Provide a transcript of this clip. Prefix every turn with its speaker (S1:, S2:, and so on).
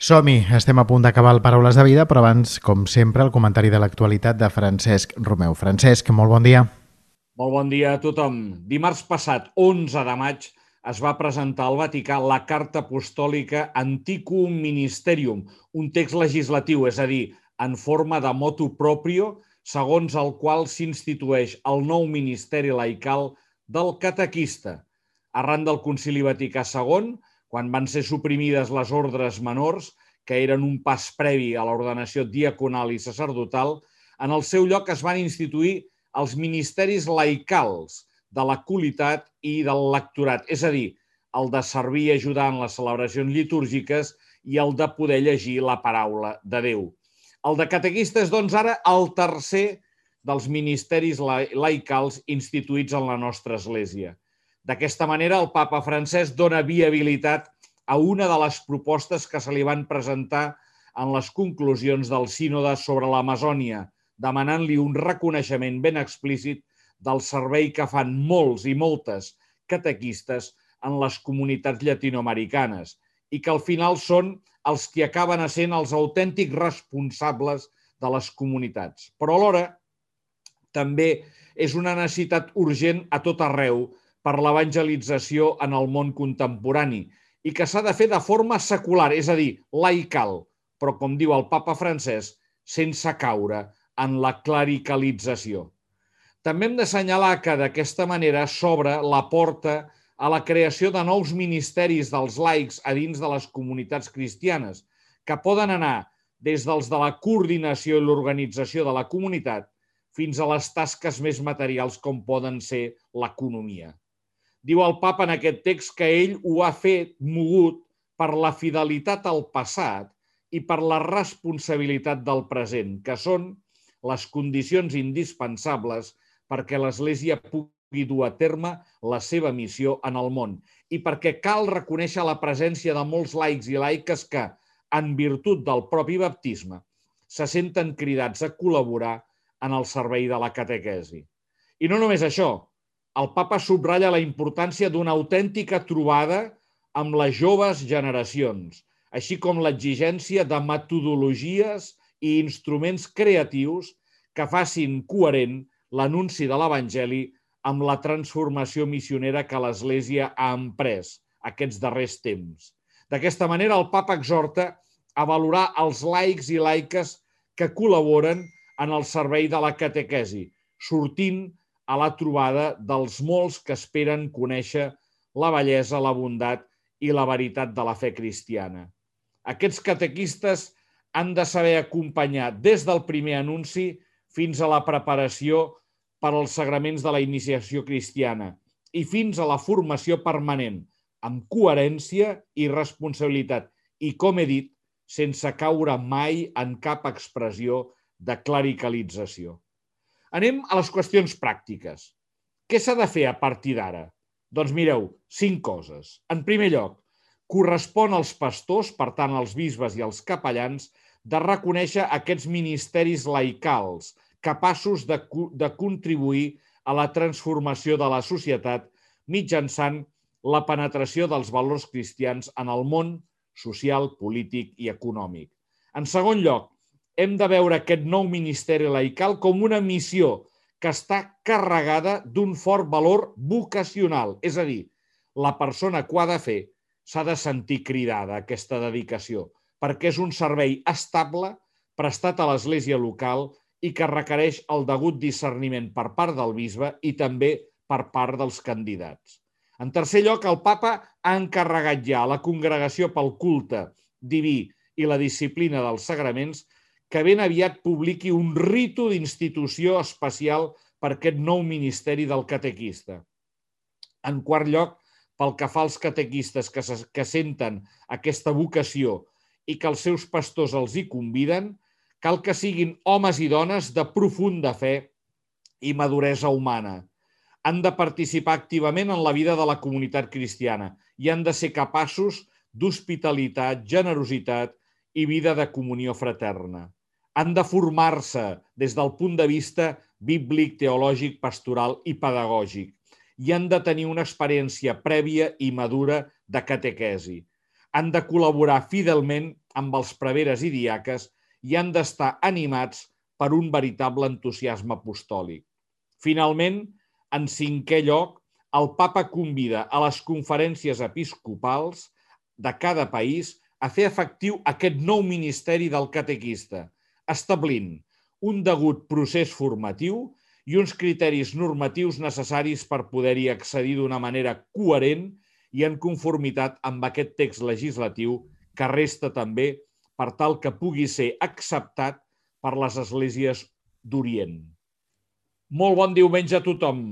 S1: Som-hi, estem a punt d'acabar el Paraules de Vida, però abans, com sempre, el comentari de l'actualitat de Francesc Romeu. Francesc, molt bon dia.
S2: Molt bon dia a tothom. Dimarts passat, 11 de maig, es va presentar al Vaticà la Carta Apostòlica Antiquum Ministerium, un text legislatiu, és a dir, en forma de motu proprio, segons el qual s'institueix el nou ministeri laical del catequista. Arran del Concili Vaticà II, quan van ser suprimides les ordres menors, que eren un pas previ a l'ordenació diaconal i sacerdotal, en el seu lloc es van instituir els ministeris laicals de la culitat i del lectorat, és a dir, el de servir i ajudar en les celebracions litúrgiques i el de poder llegir la paraula de Déu. El de catequista és, doncs, ara el tercer dels ministeris laicals instituïts en la nostra Església. D'aquesta manera, el papa Francesc dona viabilitat a una de les propostes que se li van presentar en les conclusions del sínode sobre l'Amazònia, demanant-li un reconeixement ben explícit del servei que fan molts i moltes catequistes en les comunitats llatinoamericanes i que al final són els que acaben essent els autèntics responsables de les comunitats. Però alhora també és una necessitat urgent a tot arreu per l'evangelització en el món contemporani i que s'ha de fer de forma secular, és a dir, laical, però, com diu el papa Francesc, sense caure en la clericalització. També hem d'assenyalar que d'aquesta manera s'obre la porta a la creació de nous ministeris dels laics a dins de les comunitats cristianes, que poden anar des dels de la coordinació i l'organització de la comunitat fins a les tasques més materials com poden ser l'economia. Diu el papa en aquest text que ell ho ha fet mogut per la fidelitat al passat i per la responsabilitat del present, que són les condicions indispensables perquè l'Església pugui dur a terme la seva missió en el món i perquè cal reconèixer la presència de molts laics i laiques que, en virtut del propi baptisme, se senten cridats a col·laborar en el servei de la catequesi. I no només això, el papa subratlla la importància d'una autèntica trobada amb les joves generacions, així com l'exigència de metodologies i instruments creatius que facin coherent l'anunci de l'Evangeli amb la transformació missionera que l'Església ha emprès aquests darrers temps. D'aquesta manera, el papa exhorta a valorar els laics i laiques que col·laboren en el servei de la catequesi, sortint a la trobada dels molts que esperen conèixer la bellesa, la bondat i la veritat de la fe cristiana. Aquests catequistes han de saber acompanyar des del primer anunci fins a la preparació per als sagraments de la iniciació cristiana i fins a la formació permanent, amb coherència i responsabilitat i, com he dit, sense caure mai en cap expressió de clericalització. Anem a les qüestions pràctiques. Què s'ha de fer a partir d'ara? Doncs mireu, 5 coses. En primer lloc, correspon als pastors, per tant als bisbes i als capellans, de reconèixer aquests ministeris laicals, capaços de contribuir a la transformació de la societat mitjançant la penetració dels valors cristians en el món social, polític i econòmic. En segon lloc, hem de veure aquest nou ministeri laical com una missió que està carregada d'un fort valor vocacional, és a dir, la persona que ho ha de fer s'ha de sentir cridada a aquesta dedicació, perquè és un servei estable, prestat a l'Església local i que requereix el degut discerniment per part del bisbe i també per part dels candidats. En tercer lloc, el papa ha encarregat ja a la Congregació pel Culte Diví i la Disciplina dels Sagraments que ben aviat publiqui un ritu d'institució especial per aquest nou ministeri del catequista. En quart lloc, pel que fa als catequistes que senten aquesta vocació i que els seus pastors els hi conviden, cal que siguin homes i dones de profunda fe i maduresa humana. Han de participar activament en la vida de la comunitat cristiana i han de ser capaços d'hospitalitat, generositat i vida de comunió fraterna. Han de formar-se des del punt de vista bíblic, teològic, pastoral i pedagògic i han de tenir una experiència prèvia i madura de catequesi. Han de col·laborar fidelment amb els preveres i diaques i han d'estar animats per un veritable entusiasme apostòlic. Finalment, en cinquè lloc, el papa convida a les conferències episcopals de cada país a fer efectiu aquest nou ministeri del catequista, establint un degut procés formatiu i uns criteris normatius necessaris per poder-hi accedir d'una manera coherent i en conformitat amb aquest text legislatiu que resta també per tal que pugui ser acceptat per les esglésies d'Orient. Molt bon diumenge a tothom!